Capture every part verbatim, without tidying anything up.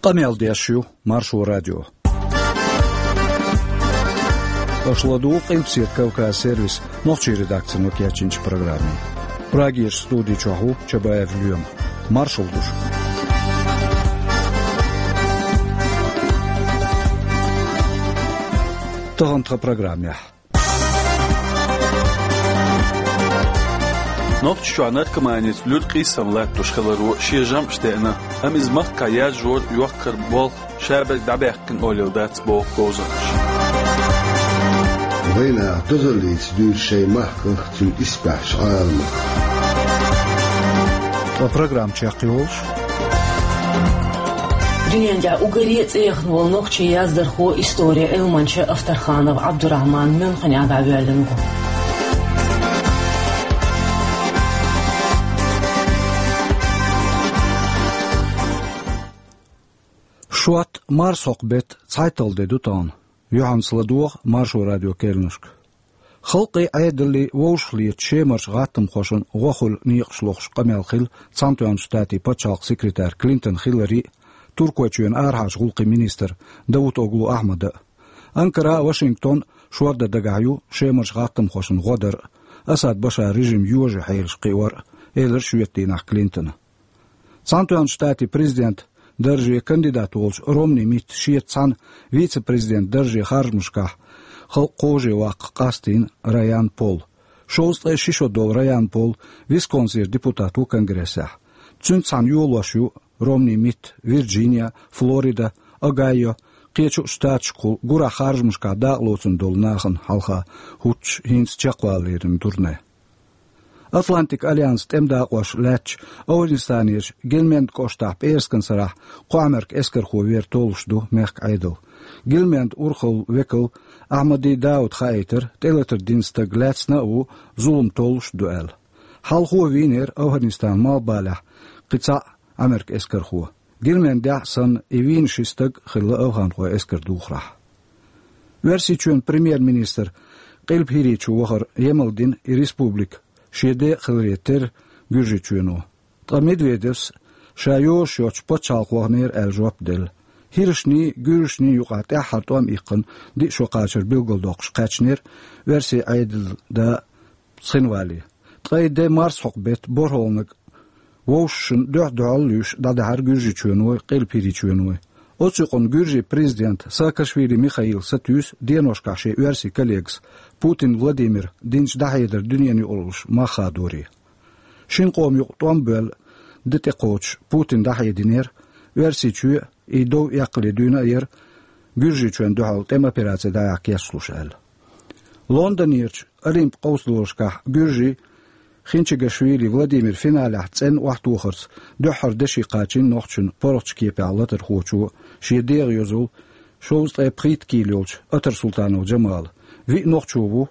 Къамел деш ю Маршо радио. Аша ладугӀу Къилбаседа Кавказ сервисан нохчийн редакцино кечйинчу программе. Прагерчу студи чохь ву Чабаев Лоьма. Маршалла ду шуьга. Тахана тхан программехь. Нохчийчохь наркоманица луьра къийсам латтош хиларо шен жамӀаш деана, амма иза махкахь яржор йоккхар болх шаберг дӀабаьккхина олийла дац, боху говзанчаша. Вайнах дозаллица дуьйцу шайн махках, цуьнан исбаьхьчу Ӏаламах. Ткъа программа чекхйолуш. Дуьнен тӀехь уггаре а цӀе яхна волу нохчийн яздархо, историн Ӏилманча Авторханов Ӏабдурахьман Мюнхенехь дӀавоьллина ву. Шот, марсхьокху беттан цхьайтталгӀа де ду тахана. Юьхьанца ладогӀа Маршо радион керланашка. Халкъан Ӏедаллий вовшахлетачу Шемарчу гӀаттамхошна гӀо хуьлу некъаш лохуш къамел хилла Цхьаьнатоьхначу Штатийн пачхьалкхан секретарь Клинтон Хиллари а, Туркойчоьнан арахьарчу гӀуллакхийн министр Давутоглу Ахьмада а. Анкара а, Вашингтон а шордан дагахь ю Шемарчу гӀаттамхошна гӀо дар а, Асад Башаран режим йожа хьелаш кхиор а, элира шоьтан дийнахь Клинтона. Цхьаьнатоьхначу Штатийн президентан дарже кандидат волчу Ромни Митта шеца цхьаьна вице-президентан дарже харжамашкахь халкъ кховжаваккха къастийна Райан Пол. Шовзткъе ши шо долу Райан Пол Висконсинера депутат ву Конгрессехь. Цуьнца цхьаьна йолош ю Ромни Митт Вирджиния, Флорида, Огайо, кхечу а штаташкахула гурахь харжамашкахь дакъалоцун долу нахана хьалха хӀуттуш хӀинца чекхвалалера турне. Атлантикан альянсан тӀеман дакъош лаьттачу Афганистанерчу Гельманд кӀоштахь пӀераскан сарахь кхо Ӏамеркан эскархо вер толлуш ду мехкан Ӏедал. Гельманд урхаллин векал Ахьмади Дауд хаийтира, тӀелатар дина стаг лаьцна а ву, зулам толлуш а ду аьлла. Хьалхо вийнера Афганистанан малхбалехь кхин цхьаъ Ӏамеркан эскархо. Гельмандехь а санна, и вийна ши стаг а хилла афганхойн эскар духарехь. Оьрсийчоьнан премьер-министр Къилба ХӀирийчу вахар емал дина и республика шен декъа хиларе терра Гуьржийчоьно. Ткъа Медведевс ша йозуш йоцчу пачхьалкхе ваханера аьлла жоп делла. ХӀирашний, гуьржашний юкъахь тӀаьххьара тӀом иккхина диъ шо кхачар билгалдоккхуш кхаьчнера оьрсийн Ӏедалан да Цхинвали. Ткъа и де марсхьокху беттан борхӀалгӀаниг вовшашна дуьхь-дуьхьал а луьйш дӀадахьара Гуьржийчоьной, Къилба ХӀирийчоьной. Оцу юкъана гуьржийн президента Саакашвили Михаила сатуьйсу деношкахь шен оьрсийн коллегас Путин Владимира динчу дӀахьедаран дуьненаюкъараллаш мах хадоре. Шина къоман юкъа тӀом а боьлла, де тӀекхочуш Путина дӀахьединера Оьрсийчоь, и дов эккхале дуьйна а яра Гуьржийчоьнна дуьхьал тӀеман операци дӀаяккха кечлуш аьлла. Лондонерчу Олимпан къовсадолашкахь гуьржийн Хинчигашвили Владимира финалехь цӀена охьатохарца дуьххьара деши кхачийна нохчашна паргӀатчу кепехь латархочо шен дегӀан йозал, шовзткъе пхийтта кийла йолчу Атар Султанов Джамала, виъ нохчо ву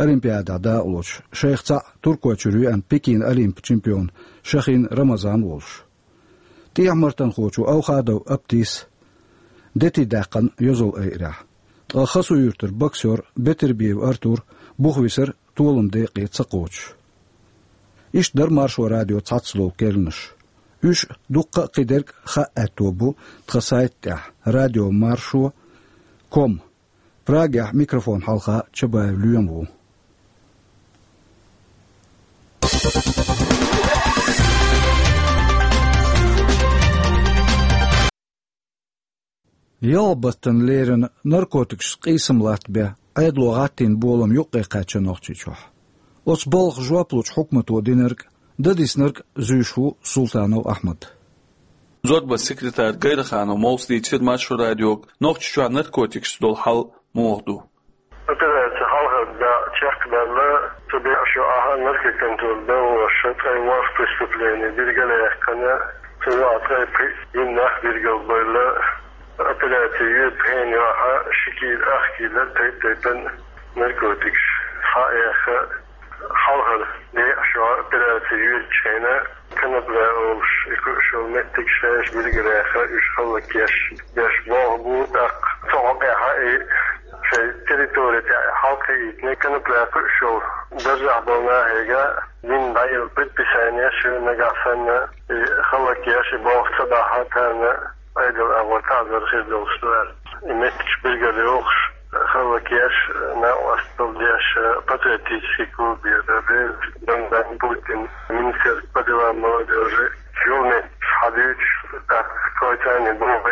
Олимпиадехь дакъалоцуш, шайх цхьаъ Туркойчуьра веана Пекинан Олимпан чемпион Шахин Рамазан волуш. ТӀехьа-мартанхочо Аухадов Аптис дети даьккхина йозал айъарехь. Ткъа Хасуюьртара боксёр Бетербиев Артур буха висира толам декъе ца кхочуш. Иштта дара Маршо радион цхьацдолу керланаш. Уьш дуккха а, кхидерг а хаа аьтто бу тхан сайта тӀехь радиомаршо ком. Прагехь микрофон хьалха Чабаев Лоьма ву. Ялхабаттанна леррина наркотикашца къийсам латта бен Ӏедало гӀаттийна болам юккъе кхаьчна Нохчийчохь. Оцу балха жоп лучу хьукмато динарг а, дан диснарг а зуьйш ву Султанов Ахьмад. Зорбан секретарь Гайраханов Мовлас дийцира Маршо радиога Нохчийчохь наркотикашца долу хьал муха ду. Операци хьалхара дакъа чекхдаьлла, цу декъа шо ахьа наркоконтроль бен волуш ткъе ворхӀ преступлени билгалъяьккхина, цу юкъахь ткъе пхиъ йина нах билгалбевлла. Операци йоьду хенан юьхьа ши кийла, ах кийла тайп-тайпана наркотикаш схьа а яьхна, хьалхара декъа шо операци йоьдучу хенахь конопля олуш и кхуьуш йолу меттиг шайша билгалъяьхна, уьш хӀаллакъеш деш болх бу, тӀаккха цу хьокъехь и шайн территори тӀехь хьалакхийтина конопля кхуьуш йолу даржехь болу нахе а дина дӀаелла предписанеш ю, нагахь санна и хӀаллакъеш, и болх ца бахь а, царна Пайдал агӀор таӀзар хир долуш ду аьлла. И меттигаш билгалйохуш, хӀаллакъеш, накъосталла деш, патриотический клуб яра, Бен-, Бен-, Путин, министерство по делам молодёжи, юлметтигаш хьадуьйцуш, тӀаккха кхойчарний боху,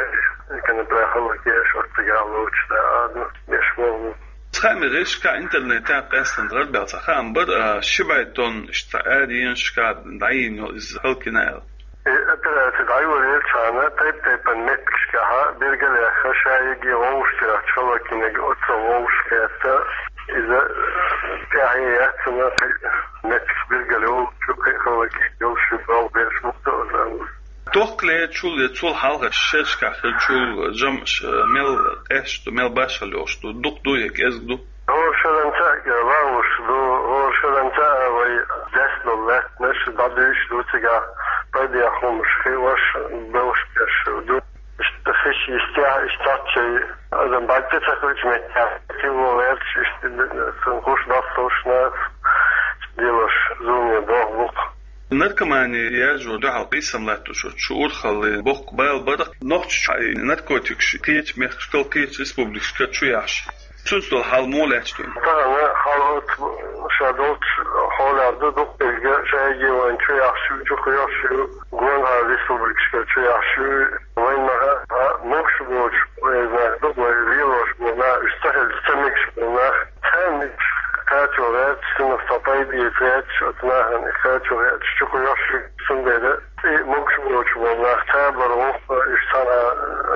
и канапра хӀаллакъеш оццигахь лоцуш да, а, ну, беш боху. Цхьа а мегар, шка интернетехь къаьстина гӀарабаьлла цхьа хаам бара, а, ши бӀе тонна иштта аьрру енашкахь дӀайийна йолу иза хӀаллакйина аьлла. И операци дӀайолаелчахьана тайп-тайпана меттигашкахьа билгалъяьхна, ша йиге вовшахтоьхча хӀаллакйинарг оццул вовшахкхетта, иза тӀаьхье яц цунна, меттигаш билгалйолуш ю, кхин а хӀаллакйина йолуш ю, боху бераш мукъа ду аса. Тохкале чул я цул хьалха шерашкахь хилла чул жамӀаш, э, мел къаьсташ ду, мел башхалла йолуш ду, дукха ду я кӀезиг ду? ХӀора шарахь а вагӀуш ду, хӀора шарахь а вай деш долу лаьттанаш дӀадуьйш ду, цигахь пайдехь хӀуманаш хиъош, белхаш беш ду. Иштта хиш йистехь, иштта цхьацца адам бӀаьрга ца хилча меттехь, хилла гӀерташ, иштта цунна хуш баккхалш нах, делош зуламе боху бу-кх. Наркомани яржо дуьхьал къийсам латтош оцу шу урхаллин боккха бала бара Нохчийчохь и наркотикаш кхечу мехкашкал, кхечу республикашкара чу яхьаш. Цуьнца долу хьал муха лаьтташ ду? Тахана хьал оцу ша долчу хьолехь ду, дукха дерг ша йиге вайна чу яхьаш ю, чу кхоьхьуш ю, гонахара республикашкара чу яхьаш ю, вайна ма-, а, могуш боцуш, вай знак ду, вай лелош болу нах, уьш ца хилча ца мегаш болу нах, царна кхачо гӀерташ, цунах цхьа пайда эца гӀерташ, оцу нахана и кхачо гӀерташ чу кхоьхьуш ю, цундела и могуш боцуш болу нах цхьабарх ву, уьш цхьана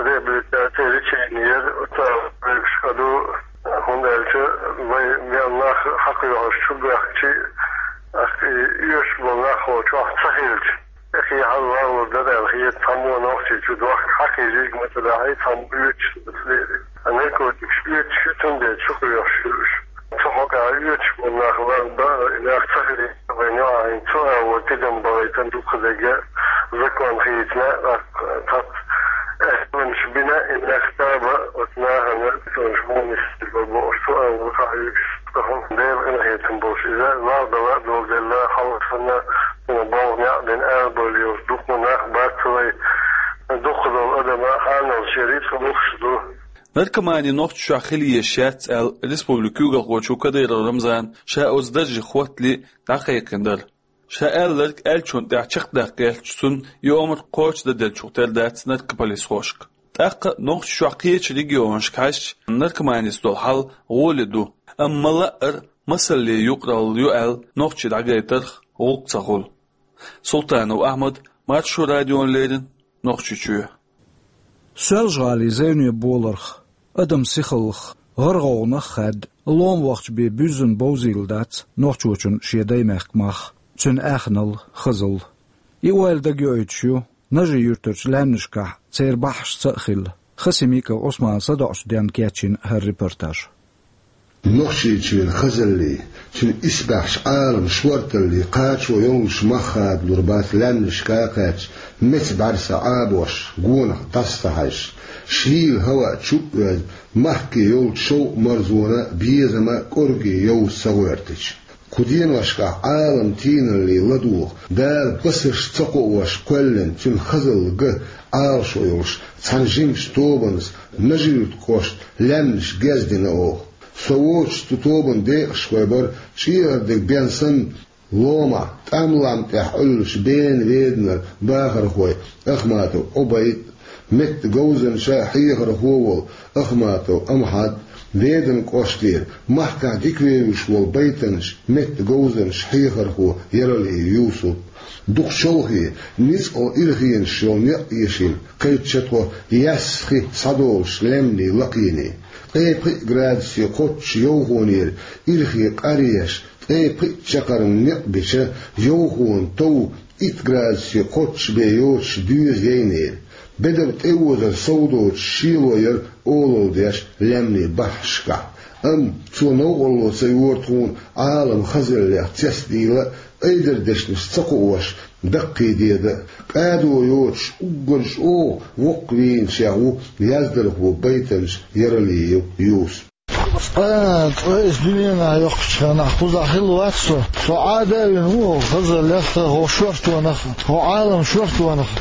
реабилитаци, лечение яр, оцу вуьгуш а ду, хӀунда аьлча вай мел нах хьакхоьхьуш чу баьхкича, и оьшуш болу нах хьо чохь ца хилча, тӀекхехьа валлур дара аьлла хета, цхьаммо Нохчийчу дохка хьакхийжийга ма ца дахьий, цхьаммо оьцуш дац лерина. Ткъа наркотикаш оьцуш ю, цундела чу кхоьхьуш ю уьш. Цу хьокъехь оьцуш болу нах лар бара, и нах ца хилийта вайн юкъахь, цу агӀор тидам бахийтина дукха дерг закон хийцина, тӀаккха цхьацца аьттонаш бина, и нах таба оцу нахана, цунаш муха нисделла бохуш, цу агӀор хьаюьгуш, тахана Делан къинхетам болуш иза, лардала а доладелла, хьалха санна, цунах болх некъ бина, арабевлла йолуш дукха нах бац вай, дукха долу адам а хьанал шен рицкъ луш ду. Наркомани Нохчийчохь хила езаш яц аьлла, республикан куьйгалхочо Кадыров Рамзана ша оцу дарже хӀоттале дӀакхайкхина дара. Ша аьлларг аьллачунна тӀехь чекхдаккха гӀерташ, цунна и омра кхочушдан деллачух тера дац наркополисхошка. ТӀаккха Нохчийчохь кхечу регионашка хьаьжча, наркоманица долу хьал гӀоле ду, амма ма-лаъара масаллин юкъаралла ю аьлла, нохчий дӀагайтарх гӀуллакх ца хуьлу. Султанов Ахьмад, Маршо радиона леррина, Нохчийчоь. Соьлжа-ГӀалин зевне боларх, адаман сихаллах, гӀар-гӀовгӀанах хаьдда, ломавахча бен буьззина бовзийла дац нохчочун шен даймехкан мах, цуьнан аьхналла, хазалла. И ойла дагайоуьйтуш ю Нажи-Юьртарчу лаьмнашкахь церан бахьанаш ца а хилла, Хасимиков Ӏусмана садоӀучу денна кечйина хӀара репортаж. Нохчийчоьнан хазаллий, цуьнан исбаьхьчу Ӏаламан шорталлий кхачо йоллуш мах хадалур бац лаьмнашка а кхаьчча, меца бӀаьрса Ӏабош, гонах дӀаса ца хьаьжча, шийла хӀаваъ чу а оьзна, махке йолчу шовкъ-марзонан безам а, кӀорге йовза ца гӀоьртича. Кху деношкахь Ӏаламан тийналлий ладугӀу, Дала басарш ца кхоош кхоьллина цуьнан хазалла ган Ӏалашо йолуш цхьана жимачу тобанца Нажи-Юьртан кӀоштан лаьмнаш гездина оха. Со воцуш цу тобанан декъашхой бара чӀегӀардиг бен санна, ломахь, тӀам-лам тӀехь Ӏуьллучу Бена-Веданара бахархой Ахматов Ӏубайд а, меттан говзанча а хьехархо а волу Ахматов Амхьад, Веданан кӀоштера махкахь дика вевзаш волу байтанча, меттан говзанча, хьехархо Яралиев Юсуп. Дукха чолхе, ницкъала ирхенаш йолу некъ эшийна, кхечча тхо яьсса хи схьадолуш лаьмнийн лакхене. Ткъе пхи градусе кхоччуш йовхонера ирхен къаръеш, ткъе пхиъ чаккхарма некъ бича йовхонан тов итт градусе кхоччуш бен йоцуш доьза яйнера. Бедар тӀеозар сов доцуш шело яра олалла деш лаьмнийн бахьанашкахь. Амма цо новкъарло ца йора тхуна Ӏаламан хазаллех цецдийла а, айдар дешнаш ца кхоош даккхийдеда а. Къадо йоцуш уггар чӀогӀа воккхавийначех ву яздархо, байтанча Яралиев Юсуп. Цкъа, цкъа иза дуьненахь йоккхучу хенахь кхузахь хилла вац со. Со Ӏада а вина ву хӀокху хазаллех а, хӀокху шортонах а, хӀокху Ӏаламан шортонах а.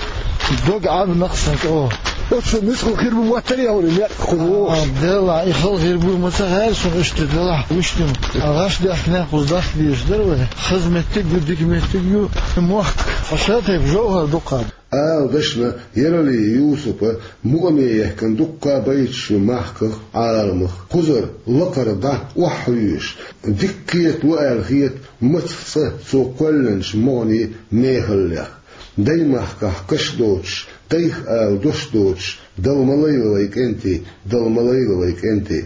Дог Ӏабина-кх сан чӀогӀа. Оцу мискъал хир бу моттарий хьуна, некъ кху вогӀуш? А, делахь, и хала хир бу, ма ца хаьара шуна иштта, делахь, вуьшта. А гӀаш даьхкинехь кхуза даш дезаш дара вай. Хаза меттиг а ю, дика меттиг а ю, мохк. Хьо ша тайпа жовхӀар дукха. Ала дашна, Яралиев Юсупа мукъаме яхкина дуккха байташ ю махках, Ӏаламах. Кхузара лакхара дӀа охьахьоьжуш, дика кхетало аьлла хета мацах цкъа цо кхоьллинчу могӀанийн мехаллех. Даймахкахь каш доцуш, дайх ала дош доцуш, Дала ма лайла вай кӀентий, Дала ма лайла вай кӀентий.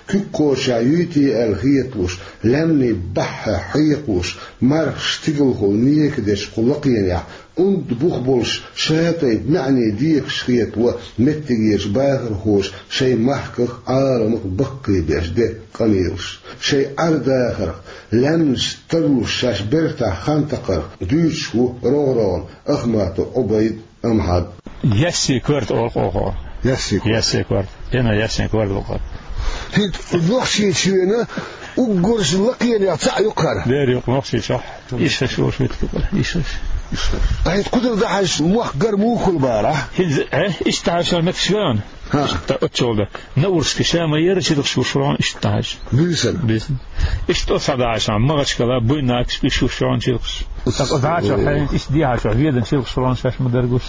Куьг кхочушехь юй те аьлла хеталуш, лаьмнийн баьхьа хьекхалуш, мархаш стигалхула нека дечу кху лакхенехь, унда бух болуш, ша тайпа маьӀне декаш хетало меттигерчу бахархоша шайн махках, Ӏаламах баккхийбеш де къамелаш. Шайн Ӏар-дахарх, лаьмнаш тарлуш шаьш бертахь хан такхарх дуьйцуш ву рогӀ-рогӀана Ахматов Ӏубайд а, Амхьад а. Ясси корта олу оха. Ясси корта. Ясси корта. Дена ясси корта бу-кх. ХӀинца Нохчийчоьнан уггар а лакхенех цхьаъ ю-кх хӀара. Дера ю-кх Нохчийчохь. Иштта шу шуьйту, иштта. Ткъа хӀинца кхузара дӀахьаьжча, мохк гар муха хуьлу бара? ХӀинца, э, иштта хьаьжча меттигаш веана. ХӀаъ. Иштта оццул даккха. Наурский ша ма яра чилхаш гуш ву хьуна иштта хьаьжча. Буьйсанна. Буьйсанна. Иштта оцу схьа дахьаш хьуна, Махачкала, Буйнакск, уьш ву шуна чилхаш. Аса дахьаш хьуна, иштта дехьаш хьуна, ведан чилхаш хьуна шаьш ма дара гуш.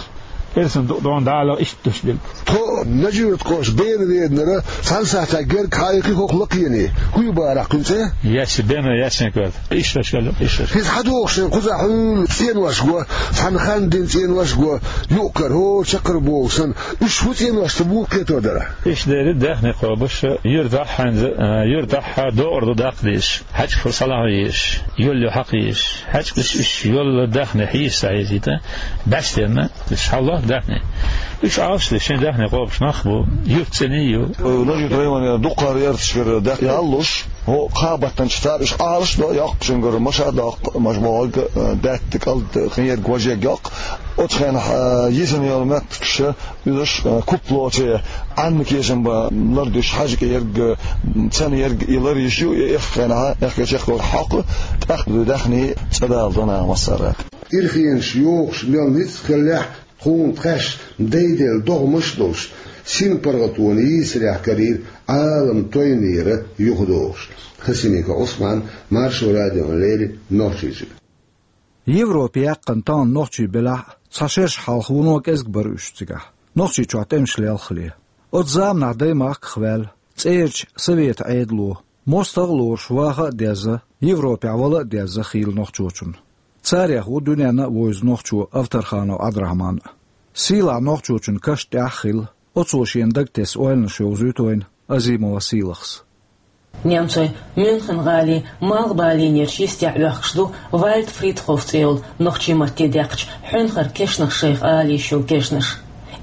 Эрсана дукха дона дӀа а лаха иштта деш дерг. Тхо Нажи-Юьртан кхош бена веданара цхьана сахьтехь герга хьаийхи хӀокху лакхене. ХӀун ю бара кхуьнан цӀе? Ясси, бена ясси корта. Иштта шкала, иштта шкала. ХӀинца хьан дохуш шайна кхузахь хьуьлла цӀенош го, цхьана хан дина цӀенош го, юкъ-кара, хӀора чаккхара боху санна, уьш хӀун цӀенош ду, муха кхетар дара? Иштта дерриг даьхни кхобуш, юьртахь хьаьнза, а, юьртахь докъар ду даккха дезаш, хьаьжкӀа фу салахь езаш, йолло хьакха езаш, хьаьжкӀаш уьш йолла даьхни хьийза ца хьийзийта, баьстенна, уьш хьалло даьхни. Уьш Ӏалаш деш шайн даьхни кхобуш нах бу, юьрт цӀена ю. Нажи-Юьртан районера дуккха ярташкара даьхни яллуш, хӀо кхаа баттанчу цара уьш Ӏалаш до, йоккхачуьнгара маша а доккху, маша бохург, а, даьтта, кӀалд, кхин ерг, важа ерг йоккху. Оцу хенахь, а, йисина йолу меттигаш, изаш, а, куп лоций, Ӏанна кешам бан лардуьйш хьаьжкӀа ерг, а, цӀена ерг и лар йиш ю, и эххар хенахь, эххар чекхдолу хьокху, тӀаккха ду даьхни цӀа дала до наха массара. Ирхенаш йохуш мел ницкъ хиллехь, тхуна тхаьш дайделла догӀмаш а долуш, синпаргӀатонан йийсарехь карийра Ӏалам тойнера юхадогӀуш. Хасимиков Ӏусман, Маршо радиона леррина, Нохчийчуьра. Европе яьккхина тахана нохчий белахь а, цхьа шераш хьалха вуно кӀезиг бара уьш цигахь, Нохчийчохь тӀемаш лелхале. Оцу заманахь даймахках ваьлла, цӀерачу Советан Ӏедало, мостагӀ а лоруш, ваха а дезна, Европехь вала а дезна хийла нохчочунна. Царех ву дуьненна а вевза нохчо Авторханов Ӏабдурахьман а. Сийлахь нохчочун каш тӀехь а хилла, оцо шена дагтесна ойланаш йовзуьйту вайна Азимова Сийлахьас. Немцойн Мюнхен-гӀалин малхбалийнерчу йистехь оьхкуш ду Вальд Фридхоф цӀе йолу нохчийн матте даьккхича хьуьнхара кешнаш шайх ала йиш йолу кешнаш.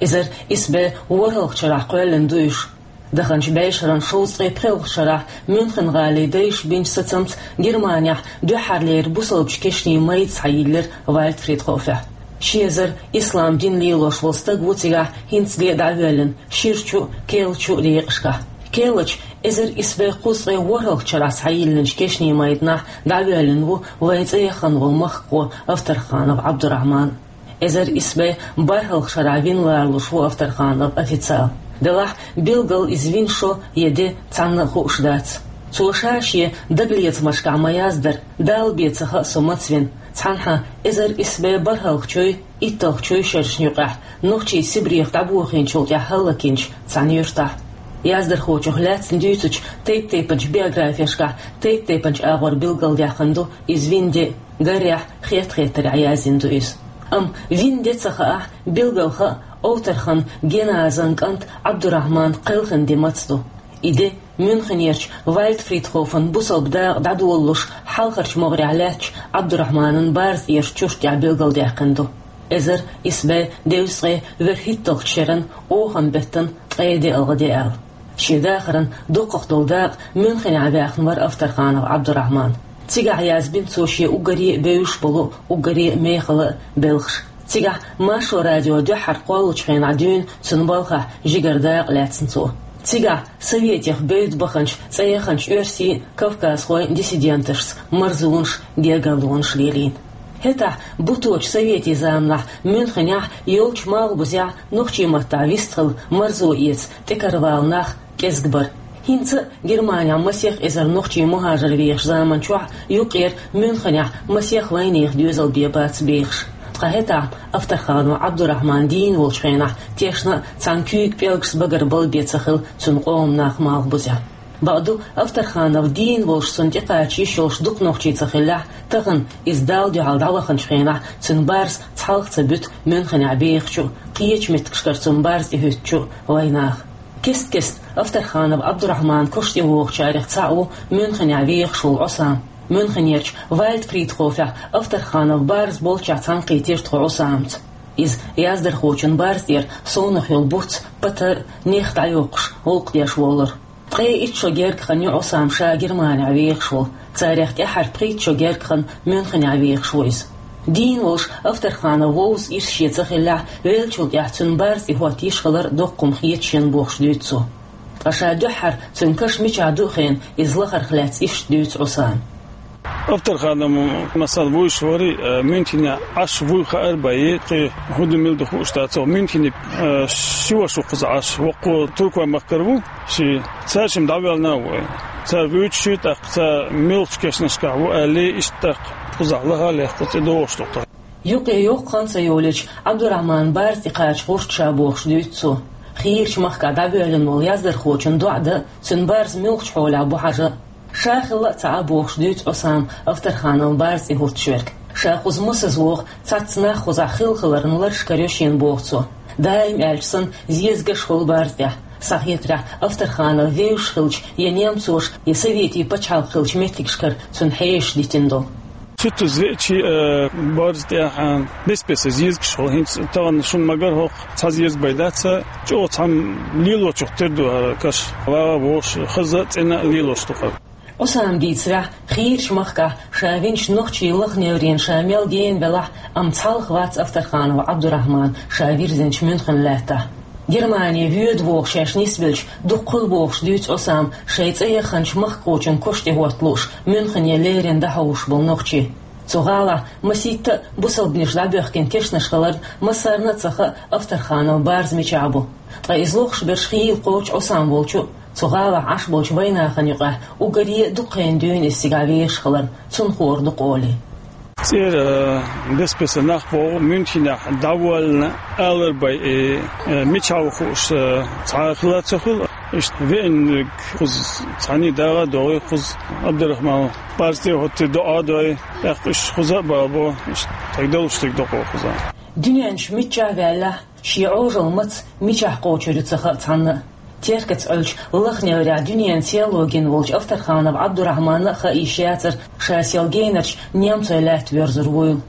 Эзар исс бӀе ворхӀалгӀачу шарахь кхоьллина ду уьш. Даханчу бӀешеран шовзткъе пхоьалгӀачу шарахь Мюнхен-гӀалин дайша бинчу сацамца Германехь дуьххьарлера бусалбачу кешнийн майда схьайиллира Вальд Фридхофехь. Ши эзар ислам дин лелош волу стаг ву цигахь хӀинцале а дӀавоьллина, ширачу а, керлачу а декъашкахь. Керлачу, эзар исс бӀе кхузткъе ворхӀалгӀачу шарахь схьайиллинчу кешнийн майданахь дӀавоьллина ву вайн цӀе яхана волу махкахо Авторханов Ӏабдурахьман. Эзар исс бӀе бархӀалгӀачу шарахь вина лоруш ву Авторханов официал. Делахь, билггал иза вина шо я де цхьанна а хууш дац. Цо ша шен дагалецамашкахь ма-яздара, Далла бен ца хаьа со маца вина, цхьанхьа эзар исс бӀе бархӀалгӀачуй, итталгӀачуй шерашна юкъахь, нохчий Сибрех дӀабохийначул тӀаьхьа хӀаллакйинчу цхьана юьртахь. Яздархочух лаьцна дуьйцучу тайп-тайпанчу биографешкахь тайп-тайпанчу агӀор билгалдаьккхина ду иза вина де, гарехь, хетта-хеттарехь яздина ду иза. Амма вина де ца хаахь, билггал хаьа, Овтархан Геназан кӀант Ӏабдурахьман кхелхина де маца ду. И де Мюнхенерчу Вальд Фридхофан бусалба дакъа дӀадолалуш хьалхарчу могӀарехь лаьттачу Ӏабдурахьманан барзкъерчу чурт тӀехь билгалдаьккхина ду. Эзар исс бӀе дезткъе ворхӀитталгӀачу шеран оханан беттан ткъе деалгӀа де аьлла. Шен дахаран дукхах долу дакъа Мюнхенехь ваьхна вара Авторханов Ӏабдурахьман. Цигахь язбина цо шен уггаре а бевзаш болу, уггаре а мехала а белхаш. Цигахь Маршо радио дуьххьара кхоллучу хенахь дуьйна цуьнан балхахь жигара дакъа лаьцна цо. Цигахь советех бевдда баханчу цӀе яханчу оьрсийн а, кавказхойн а диссиденташца марзонаш, гергарлонаш лелийна. ХӀетахь буточу советийн заманахь Мюнхенехь йолчу малхбузехь нохчийн маттахь вистхила марзо эца тӀекаравала нах кӀезиг бара. ХӀинца а Германехь масех эзар нохчий мухӀажар вехаш заман чохь юккъера Мюнхенехь масех вайнехан доьзал бен бац бехаш. Ткъа хӀетахь Авторханов Ӏабдурахьман дийна волчу хенахь тешна а цхьана куьйга пӀелгаш багара бала бен ца хилла цуьнан къоман нах малхбузехь. Бакъду, Авторханов дийна волуш цунна тӀекхача йиш йолуш дукха нохчий ца хиллехь, тахана иза Далла дуьхьал дӀаваханчу хенахь цуьнан барз цхьалха ца буьту Мюнхенехь бехачу а, кхечу меттигашкара цуьнан барз тӀехӀуьттучу а вайнаха. Кест-кеста Авторханов Ӏабдурахьманан кош тӀе вогӀучарех цхьаъ ву Мюнхенехь вехаш волу Ӏусам. Мюнхенерчу Вальдфридхофехь Авторханов барз болчохь цхьаьнакхийтира тхо Ӏусамца. Иза яздархочун барз тӀера совнах йолу буц, патар, нех дӀайоккхуш, гӀуллакх деш волура. Ткъе итт шо гергга хан ю Ӏусам ша Германехь вехаш волу, царех тӀаьххьара пхийтта шо гергга хан Мюнхенехь вехаш ву иза. Дийна волуш Авторханов вовза ирс шен ца хиллехь, веллачул тӀаьхьа цуьнан барз тӀехӀотта йиш хилар доккха хӀума хета шена бохуш дуьйцу цо. Ткъа ша дуьххьара цуьнан каш мичахь ду хиъна, иза лахарх лаьцна иштта дуьйцу Ӏусама. Авторханов, масала, вуьйш вара, э, Мюнхенехь Ӏаш вуй хаара бен, кхин хӀун ду мила ду хууш дац. Мюнхенехь, э, ши ваша ву кхузахь Ӏаш, воккхо Туркойн махкара ву, ши цаьршимма дӀавоьллина а ву. Цара вуьйцуш ю, тӀаккха цара муьлххачу кешнашкахь ву аьлла, иштта тӀаккха кхузахь лаха а лехна, кху цӀе догӀуш ду-кх. Юккъе йоккха хан ца йолийча, Ӏабдурахьманан барз тӀекхача гӀурт ша бохуш дуьйцу цо. Хийрачу махкахь дӀавоьллина волу яздархочун доӀа дан, цуьнан барз муьлххачу хьолехь бу хьажа. Ша хилла а ца Ӏа бохуш дуьйцу Ӏусама Авторхановн барз тӀехӀуттуш верг. Ша кхуза масаза вогӀу, цхьацца нах кхузахь хилла хиларна лараш карайо шена боху цо. Даим аьлча санна, зезагаш хуьлу барз тӀехь. Схьахетарехь, Авторханов вевзаш хилча, я немцоша, я советийн пачхьалкх хиллачу меттигашкара цуьнан хьешаш дитина долу. Цуьттаза веача, э, барз тӀехь, э, бес-бесара зезагаш хуьлу. ХӀинца тахана шуна ма-гарра хӀокху цхьа зеза бен дац, чӀогӀа цхьамма лелочух тера ду хӀара каш. ВагӀа а вогӀуш, хаза а, цӀена а лелош ду хӀара. Ӏусаман дийцарехь, хийрачу махкахь ша винчу нохчийн лаха неврина ша мел гена велахь а, амма цхьалха вац Авторханов Ӏабдурахьман ша вирзинчу Мюнхенан лаьттахь. Германе воьду боху шаьш нисбелча, дукха хуьлу бохуш дуьйцу Ӏусама шайн цӀе яханчу махкахочун кош тӀехӀотта лууш, Мюнхене леррина дӀахьовсуш болу нохчий. Цу гӀалахь масийтта а бусалбанаш дӀабоьхкина тешнаш хиларна массарна а ца хаьа Авторхановн барз мичахь бу. Ткъа иза лохуш берш хийла кхочу Ӏусам волчу а, цу гӀалахь Ӏаш болчу вайнахана юкъахь уггаре а дукха хенахь дуьйна иза цигахь вехаш хиларна, цунна хуур ду-кх олий. ЦӀера, э, бес-бесара нах богӀу, Мюнхенехь дӀавоьллина алар бен, э, э, мичахь ву хууш, э, цхьа а хила ца хуьлу. Иштта веаниг кхуза цхьаьний дагӀа а догӀий, кхуза Ӏабдурахьманан барз тӀехӀуттий, доӀа а дой, тӀаккха уьш кхуза а балабо, иштта тхайга далуш дерг до-кх кхуза. Дуьнен чу миччахь а ваьллехь, шен Ӏожалла маца мичахь кхочур ю ца хаьа цхьанна а. Теркаца Ӏуьллучу лаха неврехь дуьненан серло гина волчу Авторханов Ӏабдурахьманна а хаьа йиш яцара ша сел генарчу немцойн лаьтта воьрзур вуйла.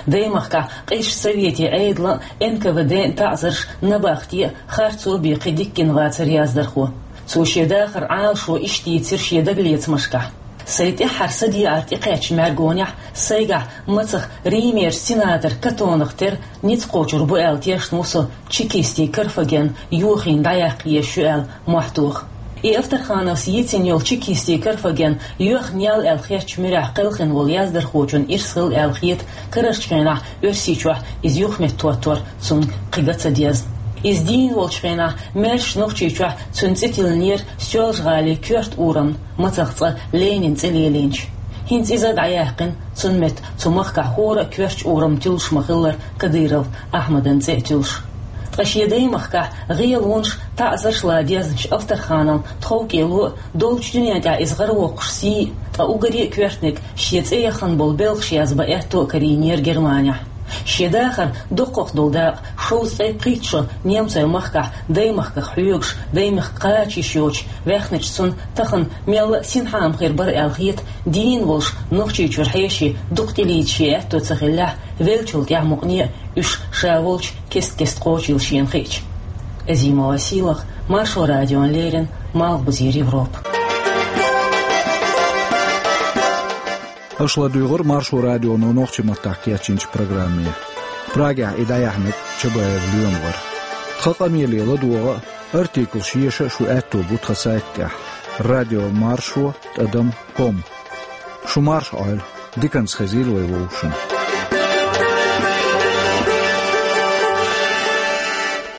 Даймахкахь къизачу советийн Ӏедалан а, Н К В Д-н а таӀзарш набахте а, харцо а бен кхин дика гина вацара яздархо. Цо шен дахаран Ӏалашо иштта йийцира шен дагалецамашкахь. Сайн тӀаьххьара садеӀар тӀекхаьчначу мӀаьргонехь сайгахь мацах Римерчу сенатор Катонах тера ницкъ кхочур бу аьлла тешна ву со чекистийн Карфаген йохийна дӀаяккха езаш ю аьлла мохь тоха. И Авторхановс йийцина йолу чекистийн Карфаген йоьхна ял аьлла хеттачу муьрехь кхелхина волу яздархочун ирс хилла аьлла хета, карарчу хенахь Оьрсийчохь иза юхаметтахӀоттор цунна кхин ган ца дезна. Иза дийна волчу хенахь маьршачу Нохчийчохь цуьнан цӀе тиллинера Соьлжа-ГӀалин коьрта урамна, мацах цкъа Ленинан цӀе лелийначу. ХӀинца иза а дӀаяьккхина, цунна метта цу махкахь хӀора а коьртачу урамна туьллуш ма-хиллара Кадыров Ахьмадан цӀе а туьллуш. Ткъа шен даймахкахь гӀелонаш, таӀзарш лан дезначу Авторхановн тховкӀело а, долчу дуьнен тӀехь иза гӀаравоккхуш сий а, ткъа уггаре а коьртаниг шен цӀе яхана болу белхаш язбан аьтто а карийнера Германехь. Шен дахаран доккхах долу дакъа, шовзткъе пхийтта шо немцойн махкахь даймахках хьоьгуш, даймахка кхача йиш йоцуш ваьхначу цунна тахана мелла а синхьа ма хир бара аьлла хета, дийна волуш Нохчийчуьра хьеший дукха тӀелийца шен аьтто ца хиллехь, веллачул тӀаьхьа мукъане а уьш ша волчу кест-кеста кхочийла шена хиъча. Азимова Сийлаха, Маршо радиона леррина, Малхбузера Европа. Аша ладуьйгӀира Маршо радионо нохчийн маттахь кечйинчу программе. Прагехь и дӀаяьхьнарг Чабаев Лоьма вара. Тхан къамеле ладогӀа а, артиклаш еша а шун аьтто бу тхан сайта тӀехь: радио маршо тӀадам ком. Шу марша Ӏойла, диканца хезийла вай вовшашна.